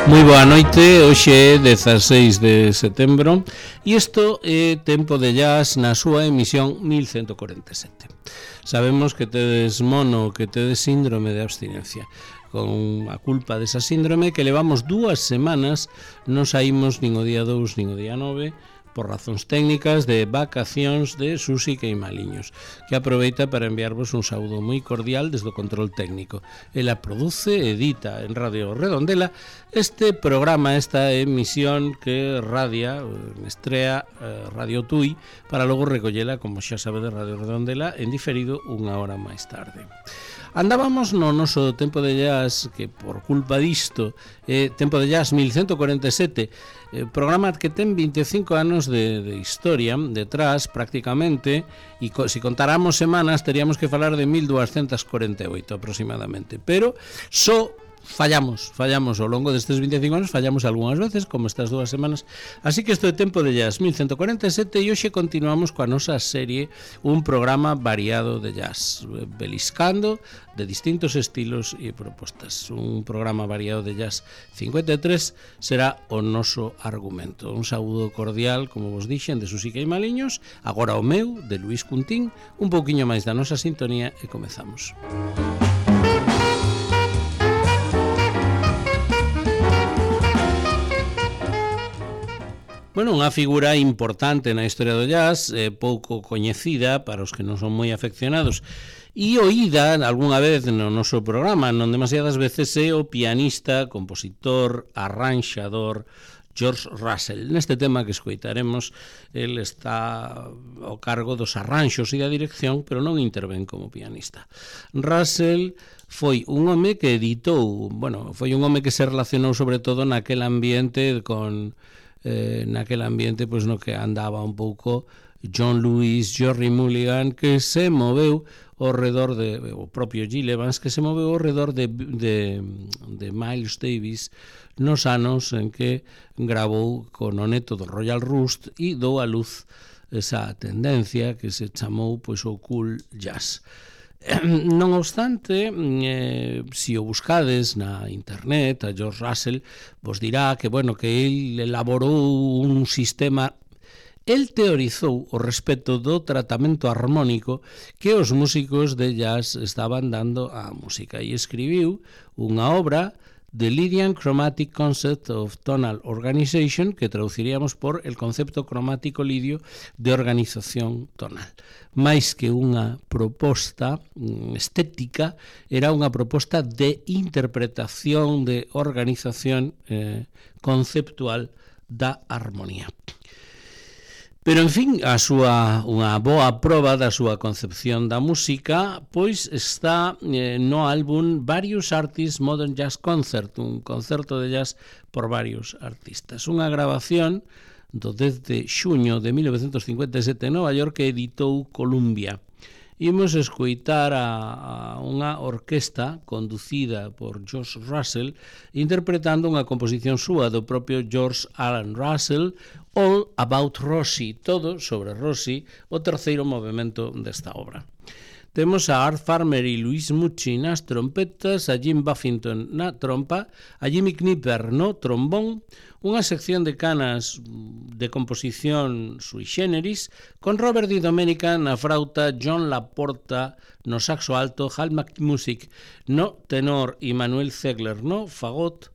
Moi boa noite, hoxe é 16 de setembro e isto é Tempo de Jazz na súa emisión 1147. Sabemos que tedes mono, que tedes síndrome de abstinencia. Con a culpa desa síndrome que levamos 2 semanas non saímos nin o día 2 nin o día 9 por razóns técnicas de vacacións de Susi Queimaliños, que aproveita para enviarvos un saúdo moi cordial desde o control técnico. Ela produce e edita en Radio Redondela este programa, esta emisión que radia, estrea Radio Tui, para logo recollela, como xa sabe, de Radio Redondela en diferido unha hora máis tarde. Andábamos no noso Tempo de Jazz, que por culpa disto Tempo de Jazz 1147, programa que ten 25 anos de historia detrás prácticamente, e se contáramos semanas teríamos que falar de 1248 aproximadamente, pero só fallamos ao longo destes 25 anos, fallamos algunhas veces, como estas 2 semanas. Así que isto é Tempo de Jazz 1147 e hoxe continuamos coa nosa serie, un programa variado de jazz, beliscando de distintos estilos e propostas. Un programa variado de jazz 53 será o noso argumento. Un saúdo cordial, como vos dixen, de Susi Queimaliños, agora o meu, de Luís Cuntín, un pouquiño máis da nosa sintonía e comezamos. Bueno, unha figura importante na historia do jazz, pouco coñecida para os que non son moi afeccionados e oída algunha vez no noso programa, non demasiadas veces, é o pianista, compositor, arranxador George Russell. Neste tema que escoitaremos, el está ao cargo dos arranxos e da dirección, pero non intervén como pianista. Russell foi un home que editou, foi un home que se relacionou sobre todo naquel ambiente pois no que andaba un pouco John Lewis, Gerry Mulligan, que se moveu ao redor de o propio Gil Evans, que se moveu ao redor de Miles Davis nos anos en que gravou con o neto do Royal Rust e dou a luz esa tendencia que se chamou pois o cool jazz. Non obstante, se o buscades na internet, a George Russell vos dirá que, que el elaborou un sistema. El teorizou o respecto do tratamento armónico que os músicos de jazz estaban dando á música e escribiu unha obra, The Lydian Chromatic Concept of Tonal Organization, que traduciríamos por el concepto cromático lidio de organización tonal. Mais que unha proposta estética, era unha proposta de interpretación, de organización conceptual da armonía. Pero, en fin, unha boa proba da súa concepción da música pois está no álbum Various Artists Modern Jazz Concert, un concerto de jazz por varios artistas. Unha grabación do 10 de xuño de 1957 en Nova York que editou Columbia. Imos escoitar a unha orquesta conducida por George Russell interpretando unha composición súa do propio George Alan Russell, All About Rosie, todo sobre Rosie, o terceiro movimento desta obra. Temos a Art Farmer e Louis Mucci nas trompetas, a Jim Buffington na trompa, a Jimmy Knipper no trombón, unha sección de canas de composición sui generis, con Robert Di Domenica na frauta, John Laporta no saxo alto, Hal McMusick no tenor e Manuel Ziegler no fagot,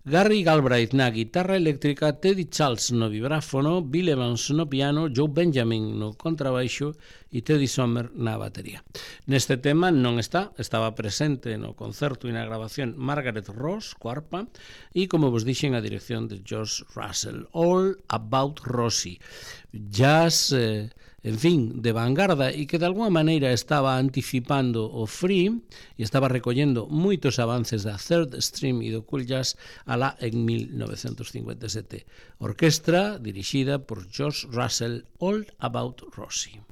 Gary Galbraith na guitarra eléctrica, Teddy Charles no vibráfono, Bill Evans no piano, Joe Benjamin no contrabaixo e Teddy Sommer na batería. Neste tema non estaba presente no concerto e na grabación Margaret Ross, coarpa, e, como vos dixen, a dirección de George Russell. All About Rosie. Jazz, en fin, de vanguarda e que de alguma maneira estaba anticipando o free e estaba recollendo moitos avances da third stream e do cool jazz alá en 1957. Orquestra dirixida por George Russell, All About Rosie.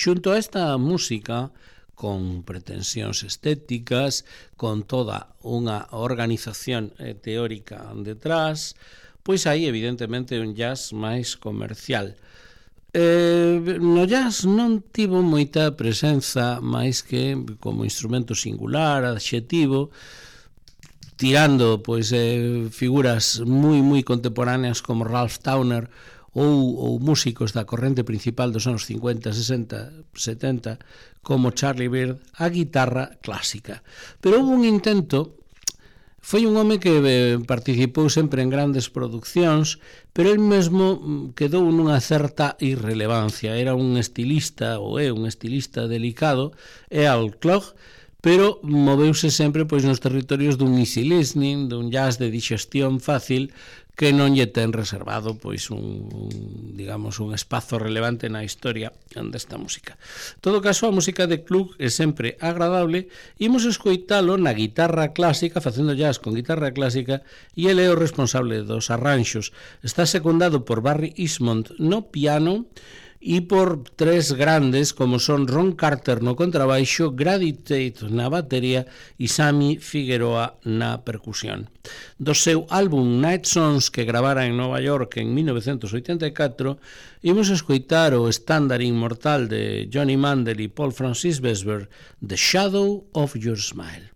Xunto a esta música, con pretensións estéticas, con toda unha organización teórica detrás, pois hai evidentemente un jazz máis comercial. No jazz non tivo moita presenza máis que como instrumento singular, adxetivo, tirando pois figuras moi contemporáneas como Ralph Towner ou músicos da corrente principal dos anos 50, 60, 70 como Charlie Byrd, a guitarra clásica. Pero houve un intento. Foi un home que participou sempre en grandes produccións, pero el mesmo quedou nunha certa irrelevancia. Era un estilista, ou é un estilista delicado, é al clog, pero moveuse sempre pois nos territorios dun easy listening, dun jazz de digestión fácil, que non lle ten reservado pois un espazo relevante na historia desta música. En todo caso, a música de Klug é sempre agradable. Imos escoitalo na guitarra clásica, facendo jazz con guitarra clásica, e ele é o responsable dos arranxos. Está secundado por Barry Eastmond no piano e por tres grandes como son Ron Carter no contrabaixo, Grady Tate na batería e Sammy Figueroa na percusión. Do seu álbum Night Songs, que gravara en Nova York en 1984, imos escoitar o estándar inmortal de Johnny Mandel e Paul Francis Besber, The Shadow of Your Smile.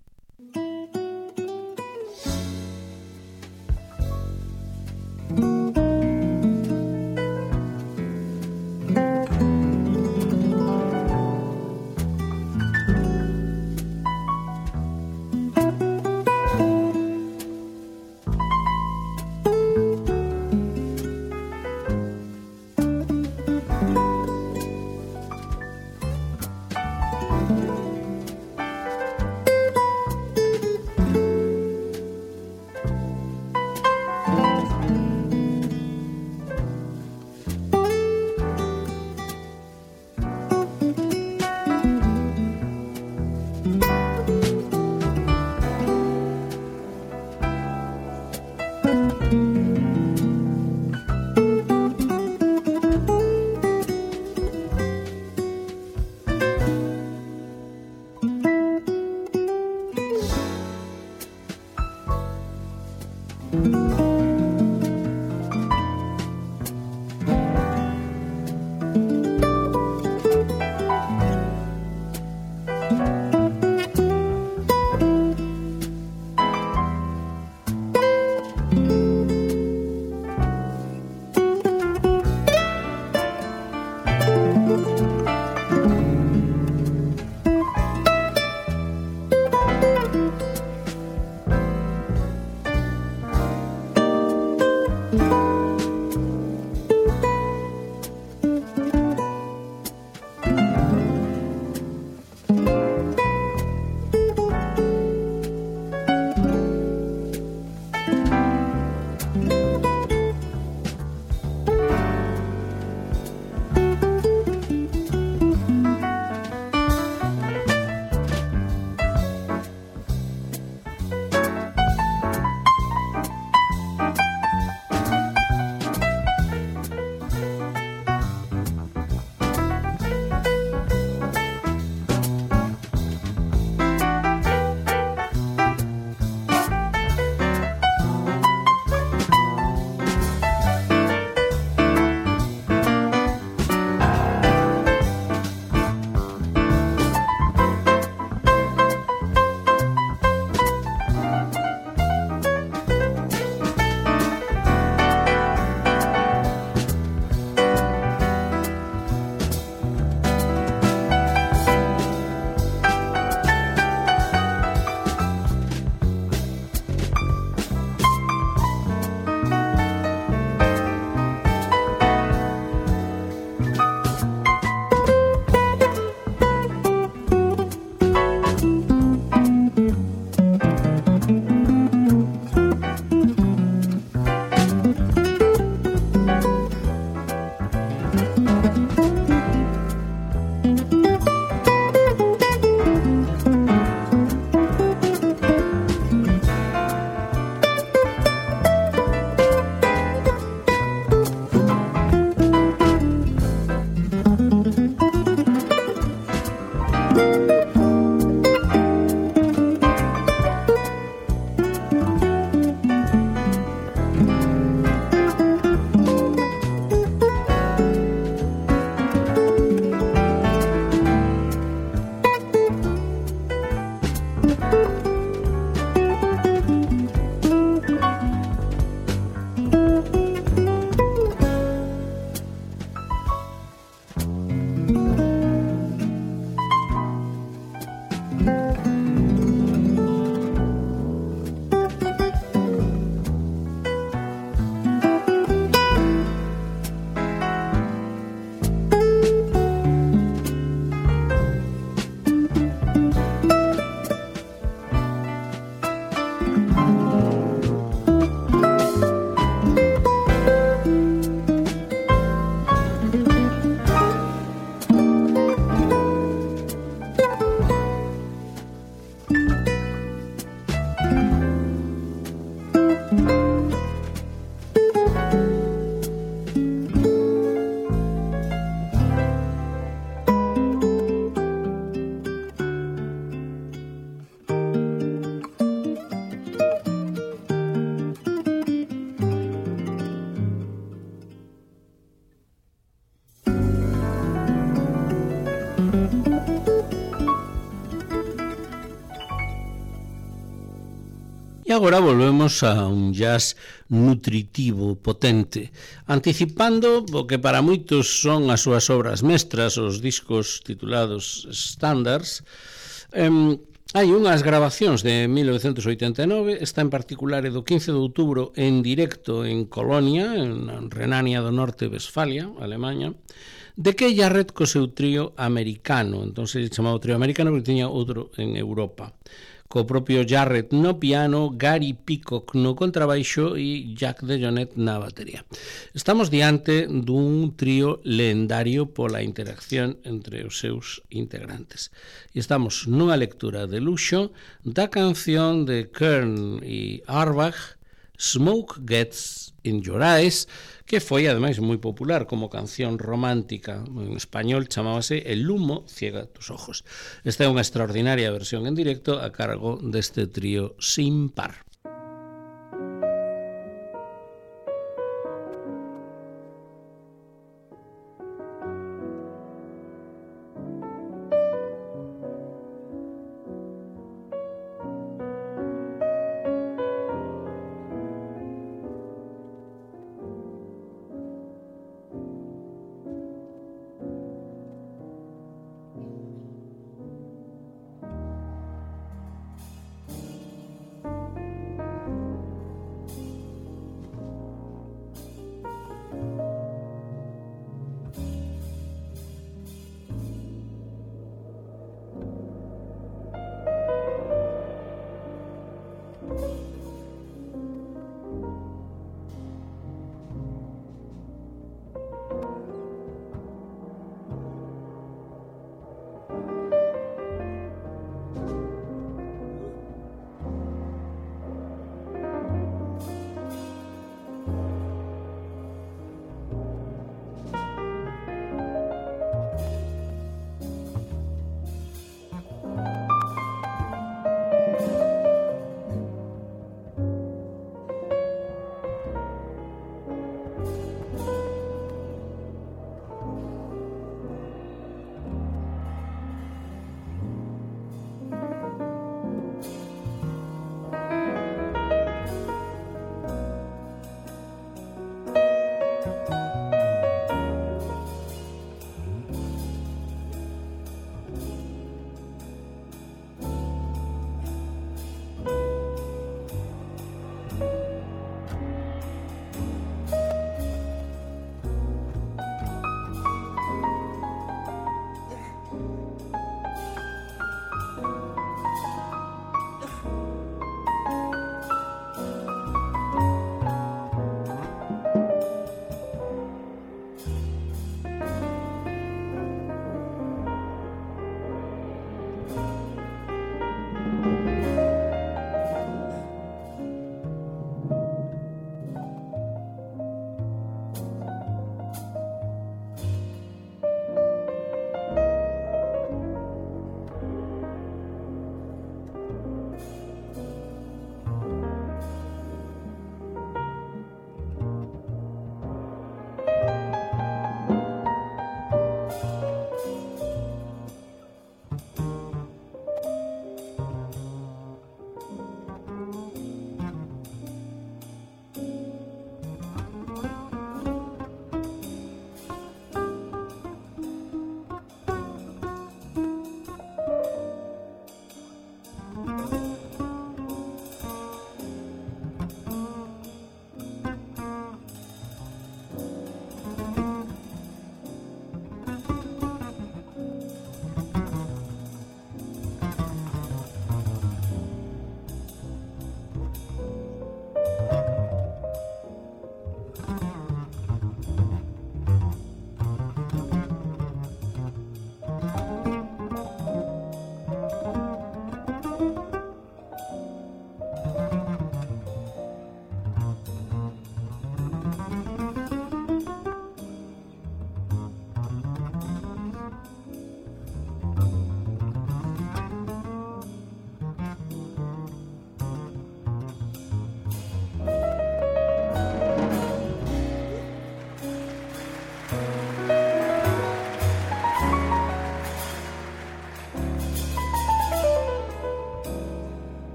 E agora volvemos a un jazz nutritivo, potente, anticipando o que para moitos son as súas obras mestras, os discos titulados Standards. Hai unhas grabacións de 1989, esta en particular é do 15 de outubro en directo en Colonia, en Renania do Norte, Westfalia, Alemanha, de que Jarrett co seu trío americano, entón se chamaba trío americano porque tiña outro en Europa, co propio Jarrett no piano, Gary Peacock no contrabaixo e Jack DeJohnette na batería. Estamos diante dun trío lendario pola interacción entre os seus integrantes. E estamos nunha lectura de luxo da canción de Kern e Auerbach, Smoke Gets in Your Eyes, que foi ademais moi popular como canción romántica. En español chamábase El humo ciega tus ojos. Esta é unha extraordinaria versión en directo a cargo deste trío sin par.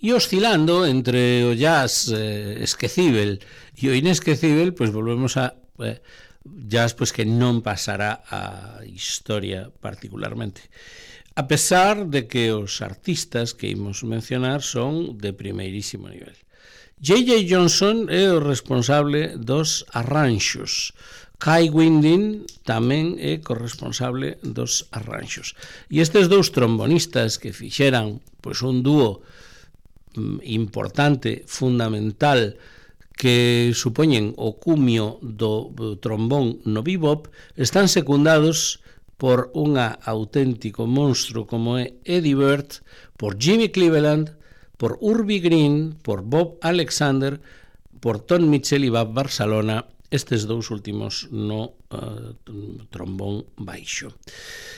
E oscilando entre o jazz esquecível e o inesquecível, pois volvemos a jazz pois que non pasará a historia particularmente. A pesar de que os artistas que imos mencionar son de primeirísimo nivel. J.J. Johnson é o responsable dos arranxos. Kai Winding tamén é corresponsable dos arranxos. E estes dous trombonistas que fixeran pois un dúo importante, fundamental, que supoñen o cumio do trombón no bebop, están secundados por un auténtico monstro como é Eddie Bird, por Jimmy Cleveland, por Urbie Green, por Bob Alexander, por Tom Mitchell e Bob Barcelona, estes dous últimos no trombón baixo.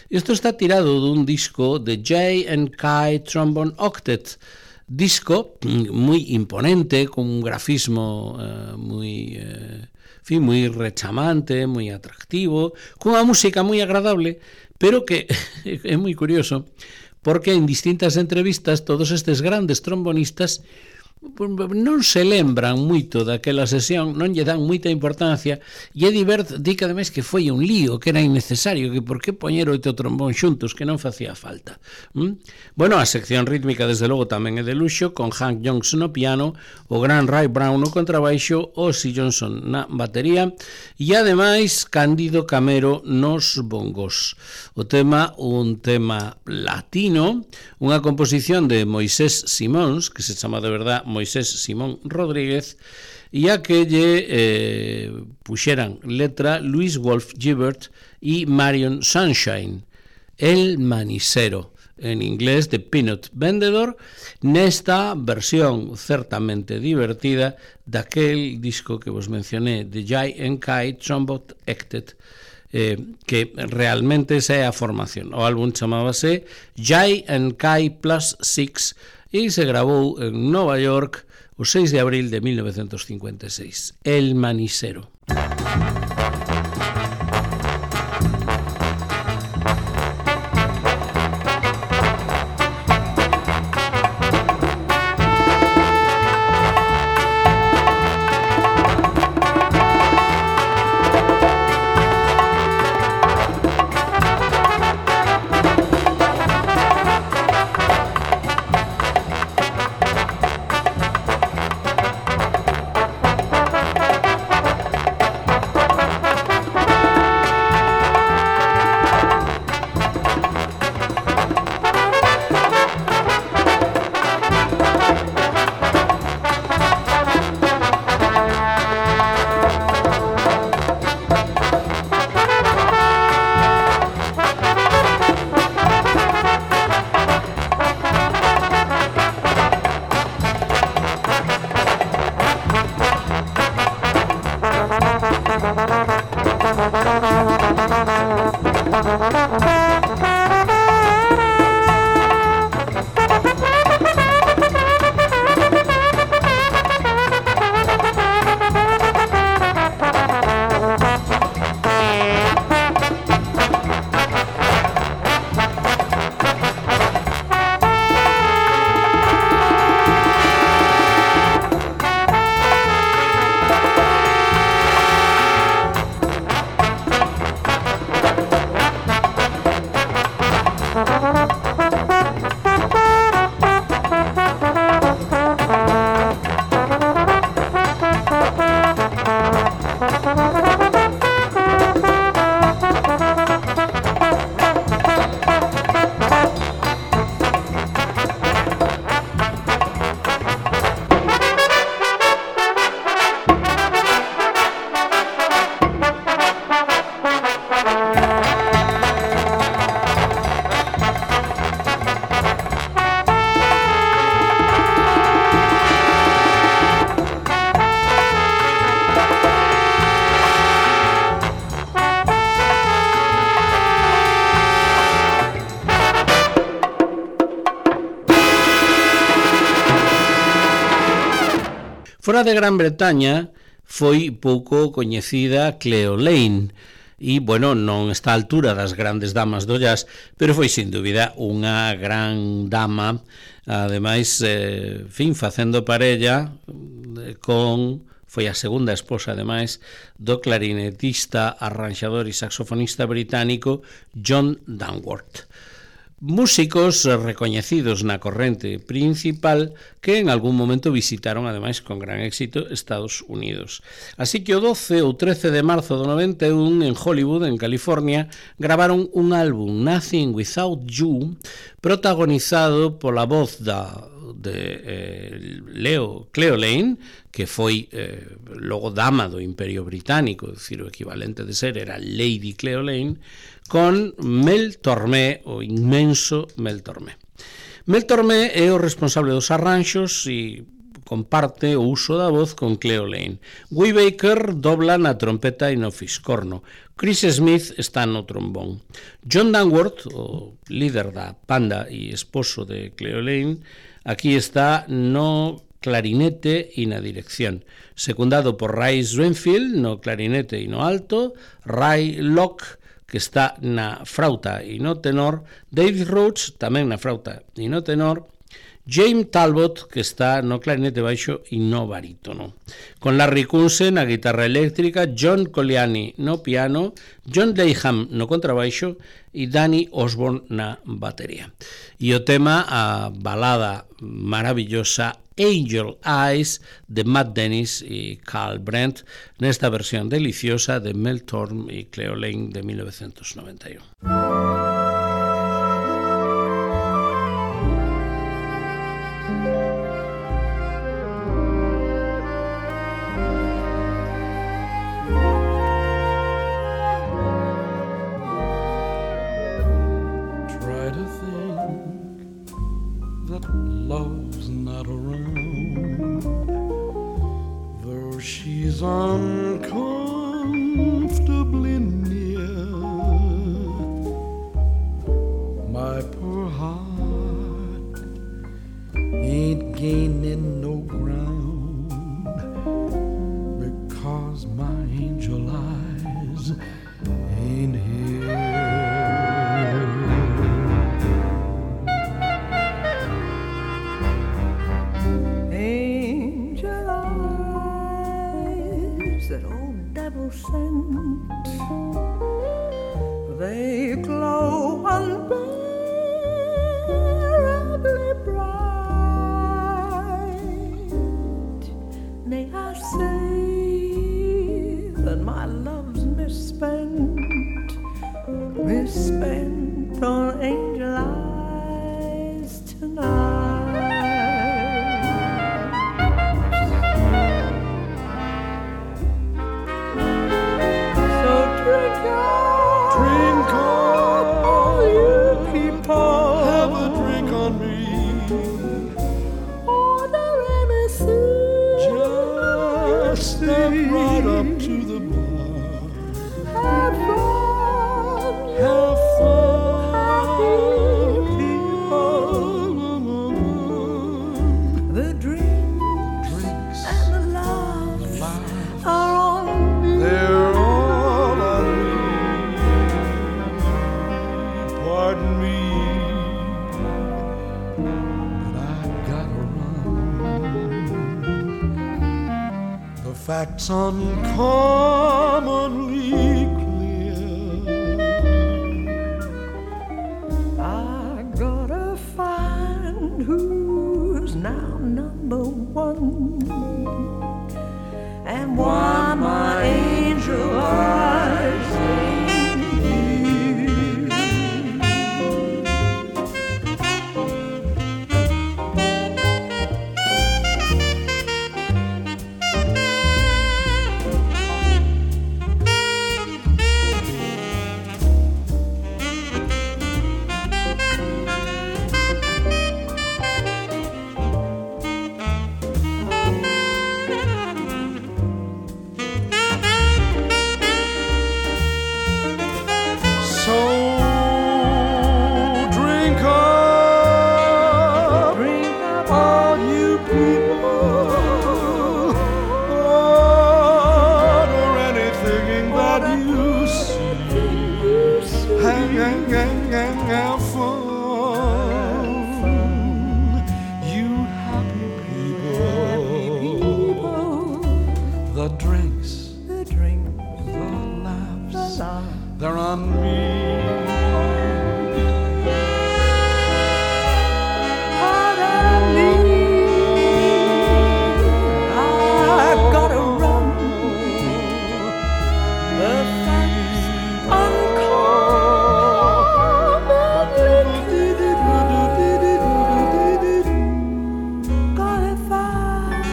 Isto está tirado dun disco de J&K Trombone Octet, disco moi imponente, con un grafismo moi rechamante, moi atractivo, cunha música moi agradable, pero que é moi curioso, porque en distintas entrevistas todos estes grandes trombonistas non se lembran moito daquela sesión, non lle dan moita importancia, e Eddie Bird di que ademais que foi un lío, que era innecesario, que por que poñer 8 trombón xuntos, que non facía falta. Bueno, a sección rítmica desde logo tamén é de luxo, con Hank Johnson no piano, o gran Ray Brown no contrabaixo, Ozzy Johnson na batería, e ademais Cándido Camero nos bongos. O tema, un tema latino, unha composición de Moisés Simóns, que se chama de verdad Moisés Simón Rodríguez, e a que lle puxeran letra Luis Wolf Gibert e Marion Sunshine, El Manisero, en inglés de Peanut Vendedor, nesta versión certamente divertida daquel disco que vos mencioné, de J&K Trombone Octet, que realmente esa é a formación. O álbum chamábase J&K Plus 6 e se grabou en Nova York o 6 de abril de 1956. El Manisero. Fora de Gran Bretaña foi pouco coñecida Cleo Lane, e, bueno, non está á altura das grandes damas do jazz, pero foi, sin dúbida, unha gran dama, ademais, facendo parella foi a segunda esposa, ademais, do clarinetista, arranxador e saxofonista británico John Dangworth. Músicos recoñecidos na corrente principal que en algún momento visitaron, ademais, con gran éxito, Estados Unidos. Así que o 12 ou 13 de marzo do 91, en Hollywood, en California, gravaron un álbum, Nothing Without You, protagonizado pola voz de Cleo Lane, que foi logo dama do Imperio Británico, é dicir, o equivalente de ser era Lady Cleo Lane, con Mel Tormé, o inmenso Mel Tormé. Mel Tormé é o responsable dos arranxos e comparte o uso da voz con Cleo Lane. Guy Baker dobla na trompeta e no fiscorno. Chris Smith está no trombón. John Dangworth, o líder da banda e esposo de Cleo Lane, aquí está no clarinete e na dirección, secundado por Ray Swenfield no clarinete e no alto, Ray Locke, que está na frauta e no tenor, David Rhodes, tamén na frauta e no tenor, James Talbot, que está no clarinete baixo e no barítono. Con Larry Kunze na guitarra eléctrica, John Colliani no piano, John Dayham no contrabaixo e Danny Osborne na batería. E o tema, a balada maravillosa Angel Eyes de Matt Dennis e Carl Brent nesta versión deliciosa de Mel Tormé e Cleo Lane de 1991. Uncomfortably near, my poor heart ain't gaining no ground, because my angel eyes ain't here. That old devil sent, they glow unbearably bright. Nay, I say that my love's misspent on angel eyes tonight. Drink on, all you people. Have a drink on me. Order anything. Just step right up to the bar. Have fun. Have fun. People. The drinks and the laughs are on me. They're all on me. Pardon me, but I gotta run. The facts uncommonly clear. I gotta find who's now number one, and why my angel eyes ain't here. the drinks, the drink, the laughs, the laugh. they're on me. I've gotta run. The facts uncommonly gotta find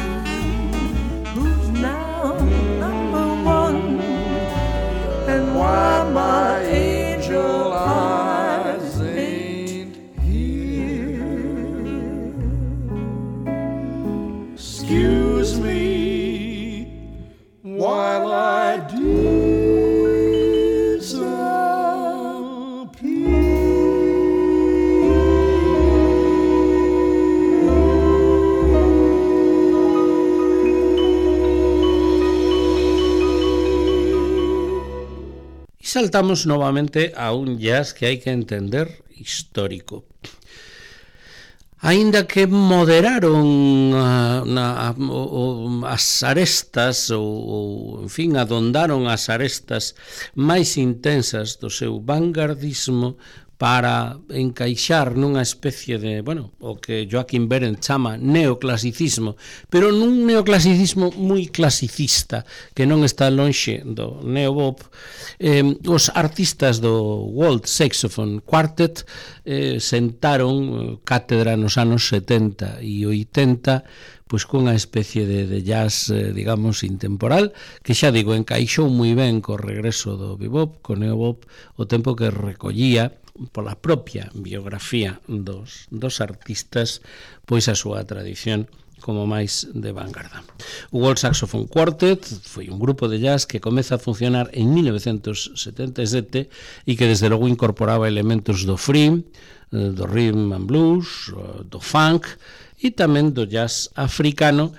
who's now number one and why my angel eyes ain't here. Excuse me while I Y saltamos novamente a un jazz que hai que entender histórico. Aínda que moderaron as arestas ou, en fin, adondaron as arestas máis intensas do seu vanguardismo para encaixar nunha especie de, bueno, o que Joaquín Berendt chama neoclasicismo, pero nun neoclasicismo moi clasicista, que non está lonxe do neobop. Os artistas do World Saxophone Quartet sentaron cátedra nos anos 70 e 80, pois cunha especie de jazz, digamos, intemporal, que xa digo, encaixou moi ben co regreso do bebop, co neobop, o tempo que recollía pola propia biografía dos artistas, pois a súa tradición como máis de vanguarda. O World Saxophone Quartet foi un grupo de jazz que comeza a funcionar en 1977 e que desde logo incorporaba elementos do free, do rhythm and blues, do funk e tamén do jazz africano,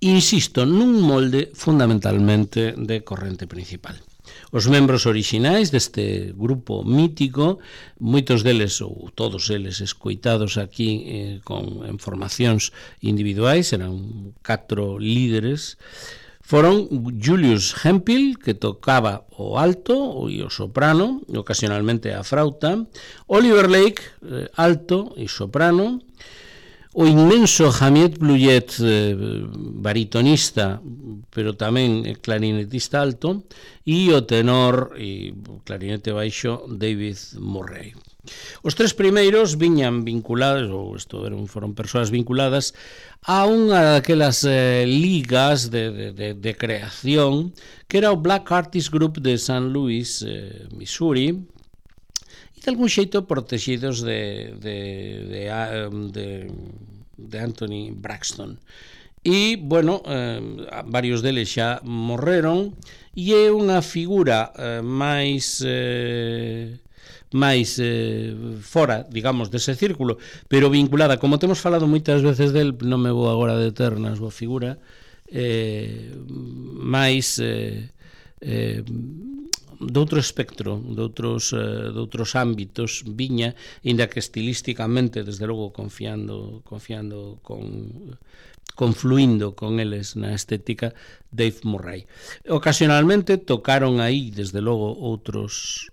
insisto, nun molde fundamentalmente de corrente principal. Os membros orixinais deste grupo mítico, moitos deles ou todos eles escoitados aquí en formacións individuais, eran 4 líderes, foron Julius Hemphill, que tocaba o alto e o soprano, ocasionalmente a frauta, Oliver Lake, alto e soprano, o inmenso Jamiet Bluet, baritonista, pero tamén clarinetista alto, e o tenor e clarinete baixo David Murray. Os 3 primeiros viñan vinculados, ou foron persoas vinculadas a unha daquelas ligas de creación que era o Black Artist Group de St. Louis, Missouri, e de algún xeito protegidos de Anthony Braxton. E, bueno, varios deles xa morreron e é unha figura máis fora, digamos, dese círculo, pero vinculada, como temos falado moitas veces del, non me vou agora deter na súa figura, máis de outro espectro, de outros ámbitos, viña, inda que estilísticamente, desde logo, confluindo con eles na estética, Dave Murray. Ocasionalmente tocaron aí, desde logo, outros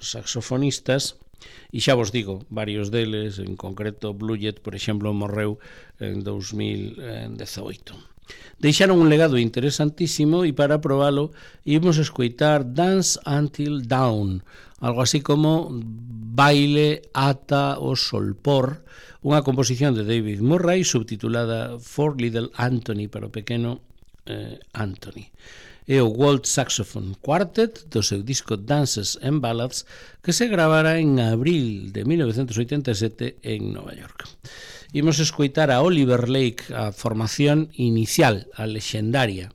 saxofonistas, e xa vos digo, varios deles, en concreto Bluet, por exemplo, morreu en 2018. Deixaron un legado interesantísimo e para probalo íbamos a escoitar Dance Until Dawn, algo así como Baile ata o solpor, unha composición de David Murray subtitulada For Little Anthony, para o pequeno Anthony. É o World Saxophone Quartet do seu disco Dances and Ballads, que se gravara en abril de 1987 en Nova York. Imos escoitar a Oliver Lake, a formación inicial, a lexendaria.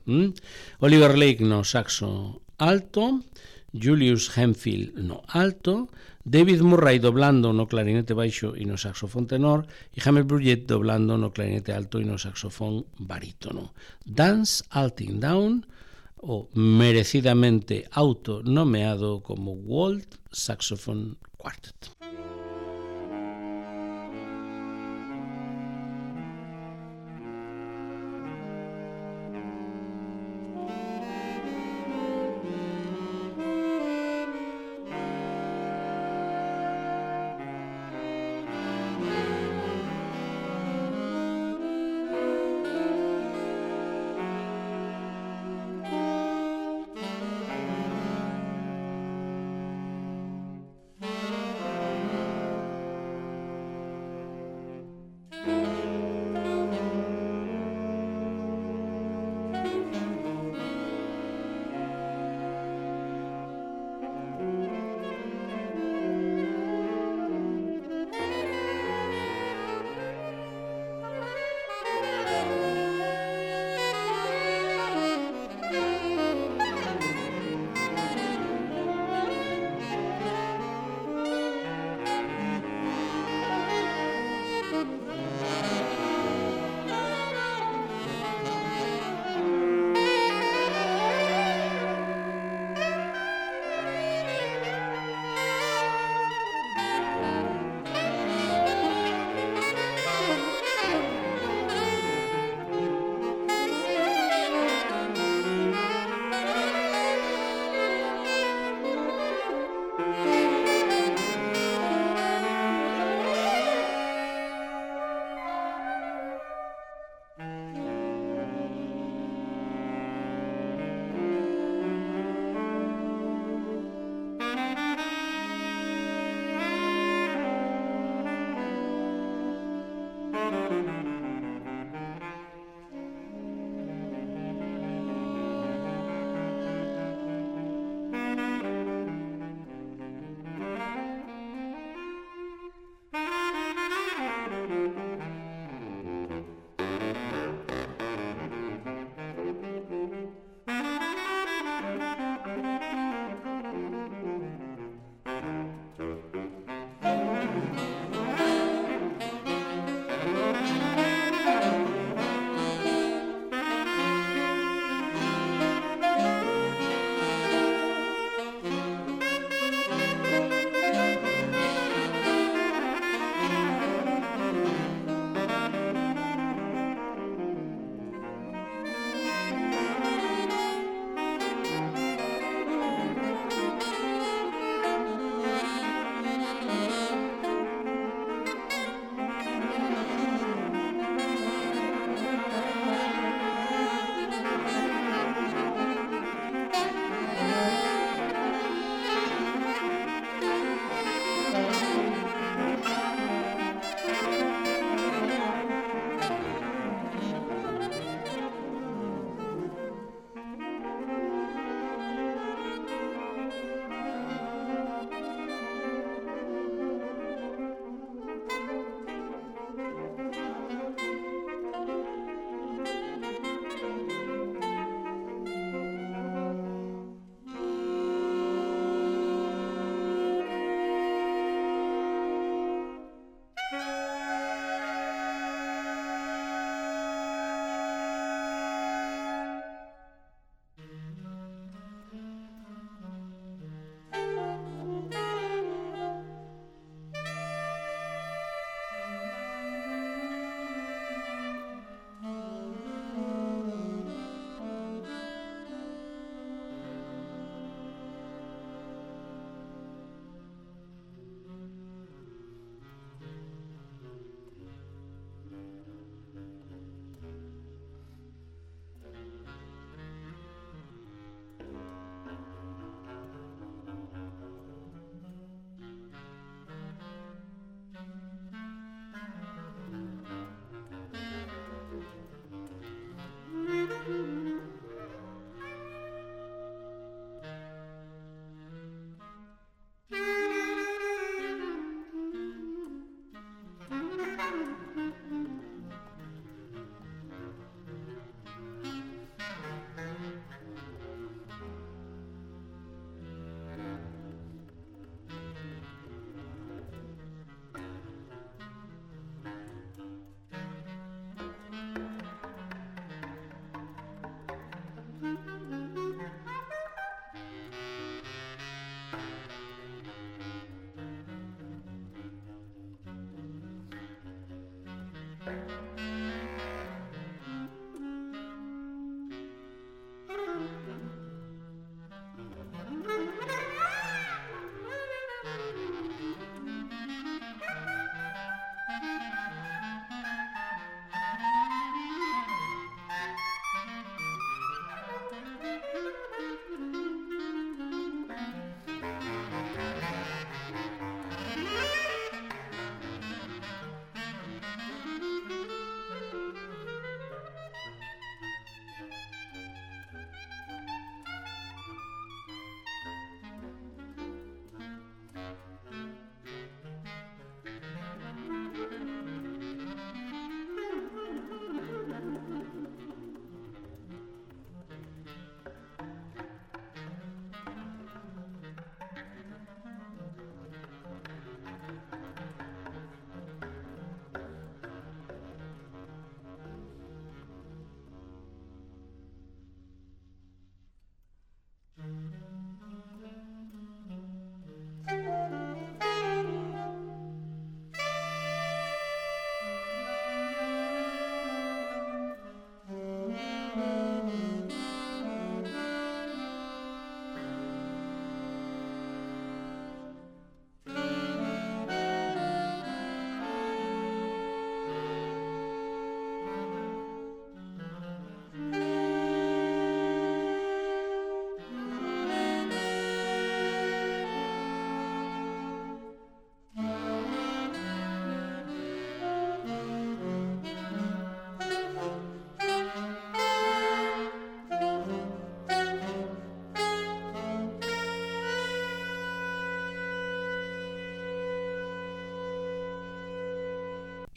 Oliver Lake no saxo alto, Julius Hemphill no alto, David Murray doblando no clarinete baixo e no saxofón tenor, e Jamiet Bluet doblando no clarinete alto e no saxofón barítono. Dance Until Dawn, o merecidamente autonomeado como World Saxophone Quartet.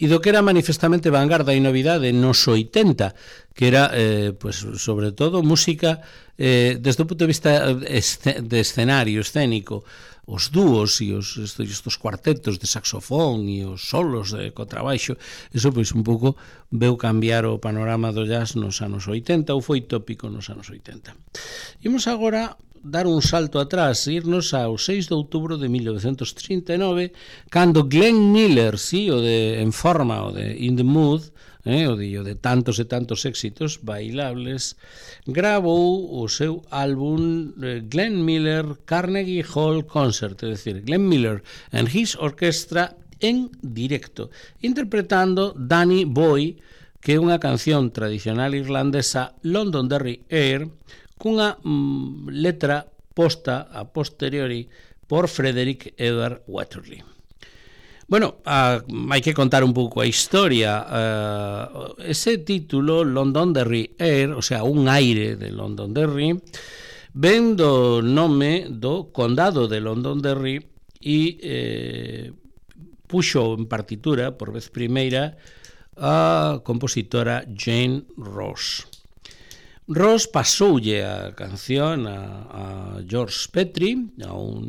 e do que era manifestamente vanguarda e novidade nos 80, que era, pues, sobre todo, música desde o punto de vista de escenario escénico, os dúos e estos cuartetos de saxofón e os solos de contrabaixo, eso pois un pouco veu cambiar o panorama do jazz nos anos 80, ou foi tópico nos anos 80. Imos agora dar un salto atrás, irnos ao 6 de outubro de 1939, cando Glenn Miller, sí, o de En Forma, o de In the Mood, o de tantos e tantos éxitos bailables, grabou o seu álbum Glenn Miller Carnegie Hall Concert, é dicir, Glenn Miller and his orchestra en directo, interpretando Danny Boy, que é unha canción tradicional irlandesa, Londonderry Air, cunha letra posta a posteriori por Frederick Edward Wetherly. Bueno, hai que contar un pouco a historia. Ese título, Londonderry Air, o sea, un aire de Londonderry, ven do nome do condado de Londonderry e puxo en partitura, por vez primeira, a compositora Jane Ross. Ross pasoulle a canción a George Petrie, a un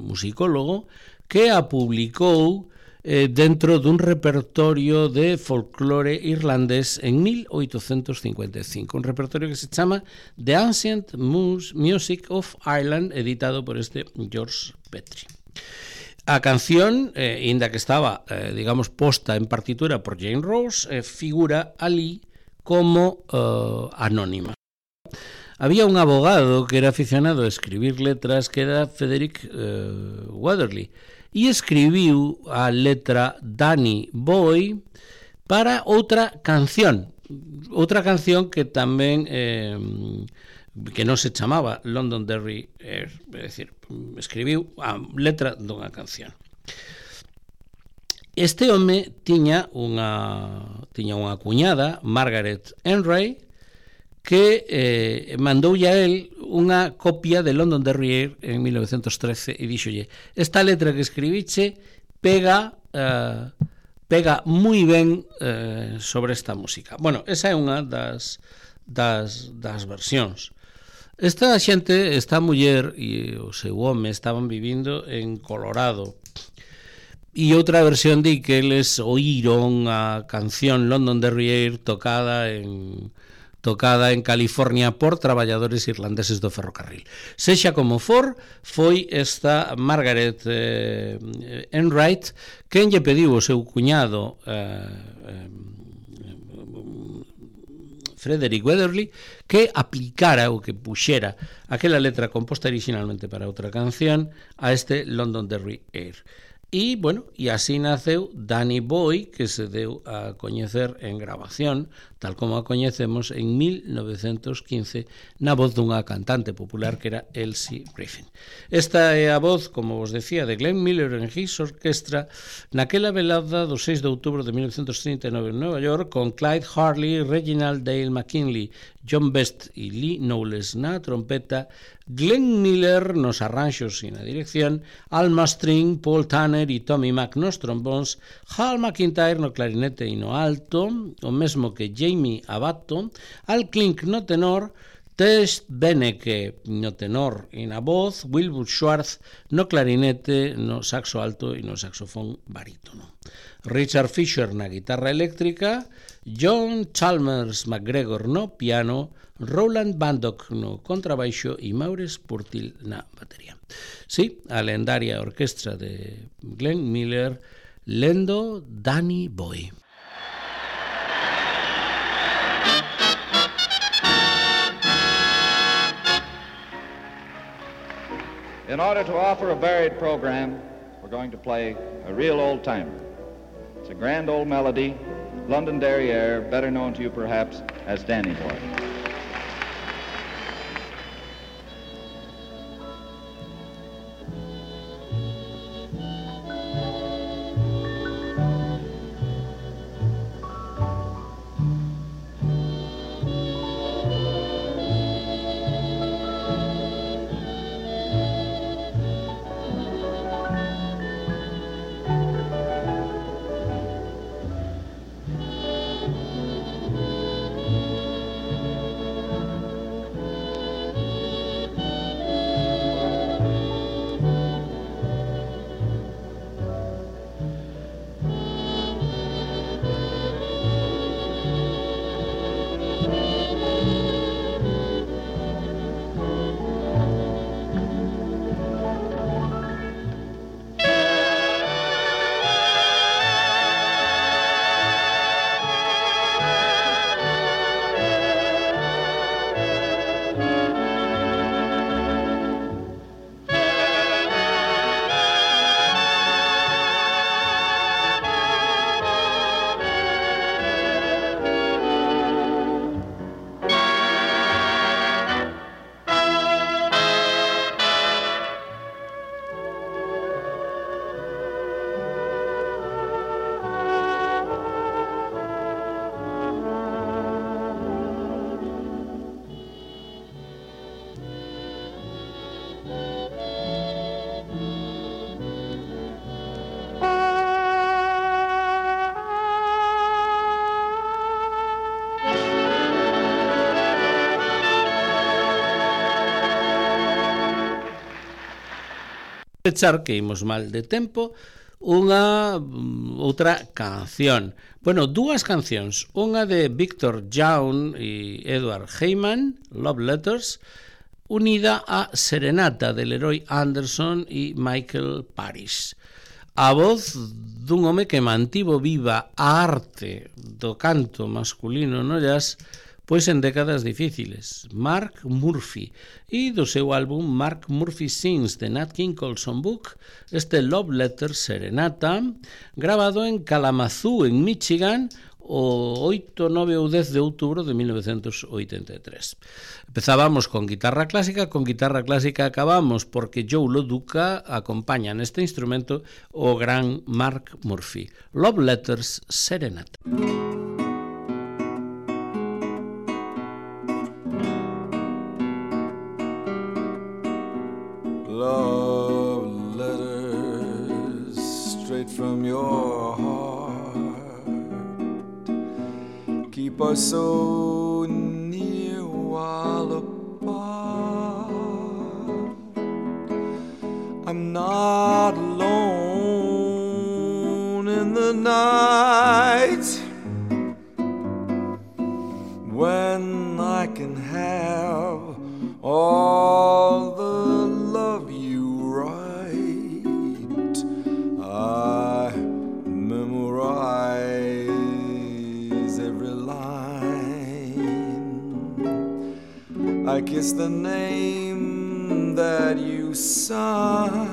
musicólogo, que a publicou dentro dun repertorio de folclore irlandés en 1855, un repertorio que se chama The Ancient Music of Ireland, editado por este George Petrie. A canción, inda que estaba, digamos, posta en partitura por Jane Ross, figura ali como anónima. Había un abogado que era aficionado a escribir letras, que era Frederick Wetherly, e escribiu a letra Danny Boy para outra canción que tamén que non se chamaba Londonderry Air, é dicir, escribiu a letra dunha canción. Este home tiña unha cuñada, Margaret Enray, que mandoulle a él unha copia de Londonderry Air en 1913 e díxolle: esta letra que escribiche pega moi ben sobre esta música. Bueno, esa é unha das versións. Esta xente, esta muller e o seu home estaban vivindo en Colorado, e outra versión di que eles oíron a canción Londonderry Air tocada en California por traballadores irlandeses do ferrocarril. Sexa como for, foi esta Margaret Enright quen lle pediu ao seu cuñado Frederick Wetherly que aplicara ou que puxera aquela letra composta originalmente para outra canción a este Londonderry Air. E, bueno, e así naceu Danny Boy, que se deu a coñecer en grabación, tal como a coñecemos en 1915, na voz dunha cantante popular que era Elsie Griffin. Esta é a voz, como vos decía, de Glenn Miller en his orquestra naquela velada do 6 de outubro de 1939 en Nova York, con Clyde Harley, Reginald Dale McKinley, John Best e Lee Knowles na trompeta, Glenn Miller nos arranxos e na dirección, Al Mastering, Paul Tanner e Tommy Mac nos trombóns, Hal McIntyre no clarinete e no alto, o mesmo que Jamie Abato, Al Klink no tenor, Tess Beneke no tenor e na voz, Wilbur Schwartz no clarinete, no saxo alto e no saxofón barítono. Richard Fisher na guitarra eléctrica, John Chalmers McGregor no piano, Roland Bandock no contrabaixo e Maurice Purtill na batería. Sí, a lendaria orquestra de Glenn Miller lendo Danny Boy. In order to offer a varied program, we're going to play a real old-timer. It's a grand old melody, Londonderry Air, better known to you perhaps as Danny Boy. Pechar que imos mal de tempo, unha outra canción. Bueno, dúas cancións, unha de Victor Young e Edward Heyman, Love Letters, unida a Serenata de Leroy Anderson e Michael Parrish. A voz dun home que mantivo viva a arte do canto masculino no jazz, pois en décadas difíciles, Mark Murphy, e do seu álbum Mark Murphy Sings de Nat King Cole Songbook, este Love Letter Serenata, grabado en Kalamazoo, en Michigan, o 8, 9 ou 10 de outubro de 1983. Empezábamos con guitarra clásica acabamos porque Joe Lo Duca acompaña neste instrumento o gran Mark Murphy. Love Letters Serenata. Love letters straight from your heart keep us so near while apart. I'm not alone in the night when I can have all the love you write. I memorize every line. I kiss the name that you sign.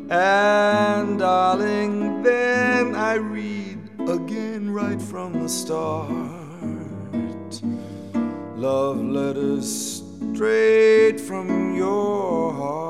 And darling, then I read again right from the start. Love letters straight from your heart.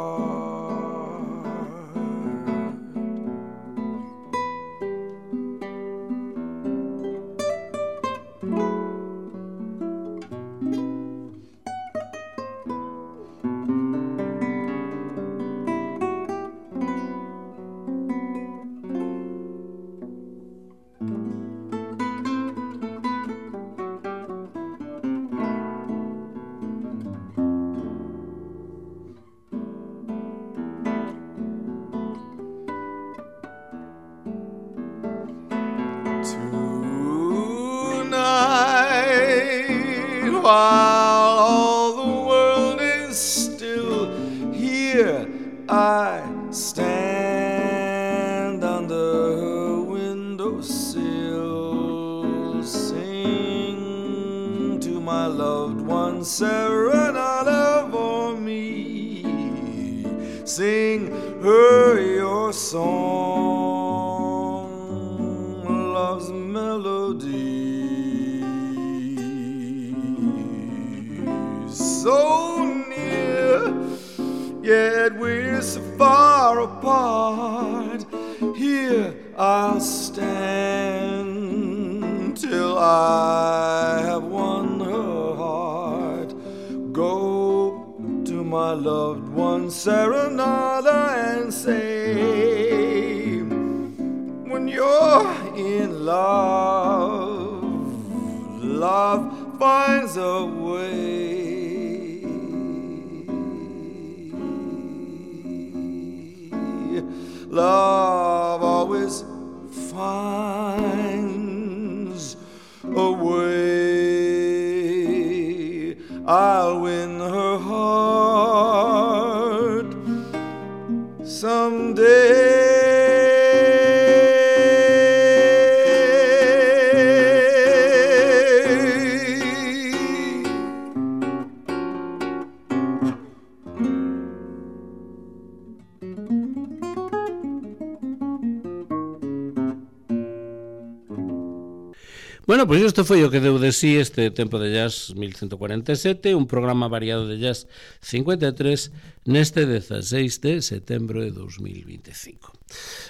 While all the world is still, here I stand under her windowsill, sing to my loved one serenade for me, sing her your song, love's melody. So near, yet we're so far apart. Here I'll stand till I have won her heart. Go to my loved one serenade and say, when you're in love, love finds a way. Love always finds a way. I'll win her heart someday. Bueno, pois isto foi o que deu de sí este Tempo de Jazz 1147, un programa variado de jazz 53 neste 16 de setembro de 2025.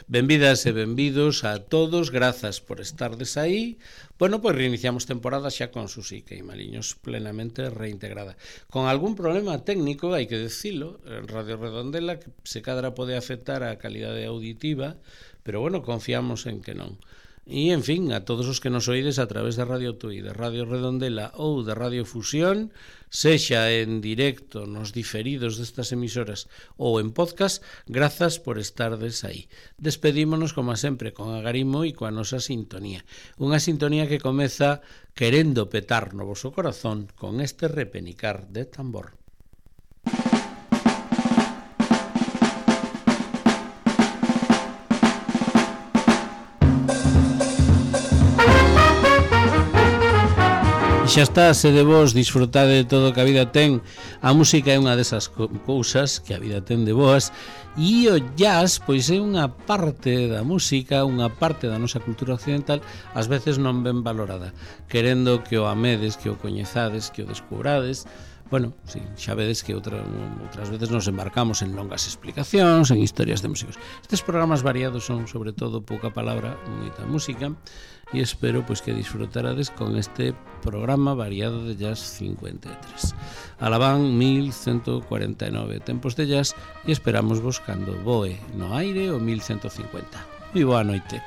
Benvidas e benvidos a todos, grazas por estardes aí. Bueno, pois reiniciamos temporada xa con Susi Queimaliños plenamente reintegrada. Con algún problema técnico, hai que decilo, en Radio Redondela, que se cadra pode afectar a calidade auditiva, pero bueno, confiamos en que non. E, en fin, a todos os que nos oídes a través de Radio Tui, de Radio Redondela ou de Radio Fusión, sexa en directo nos diferidos destas emisoras ou en podcast, grazas por estardes aí. Despedímonos, como sempre, con agarimo e coa nosa sintonía. Unha sintonía que comeza querendo petar no voso corazón con este repenicar de tambor. Xa está, se de vos disfrutade de todo o que a vida ten. A música é unha desas cousas que a vida ten de boas, e o jazz pois é unha parte da música, unha parte da nosa cultura occidental, ás veces non ben valorada, querendo que o amedes, que o coñezades, que o descubrades. Bueno, sí, xa vedes que outras veces nos embarcamos en longas explicacións, en historias de músicos. Estes programas variados son, sobre todo, pouca palabra, moita música, e espero pois que disfrutarades con este programa variado de Jazz 53. Alabán 1149 tempos de jazz, e esperamos vos cando voe no aire o 1150. Moi boa noite.